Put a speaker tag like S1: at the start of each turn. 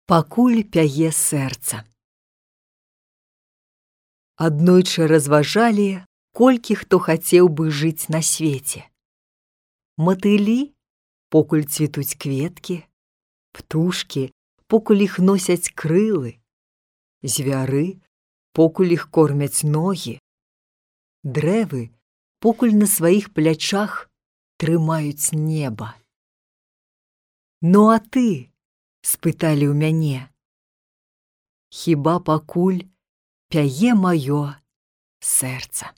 S1: Пакуль пяе сэрца. Аднойчы разважалі, колькі хто хацеў бы жыць на свеце. Матылі, покуль цвітуць кветкі, птушкі, покуль іх носяць крылы, звяры, покуль іх кормяць ногі, дрэвы, покуль на сваіх плячах трымаюць неба. Ну а ты? Спыталі ў мяне. Хіба пакуль пяе маё сэрца.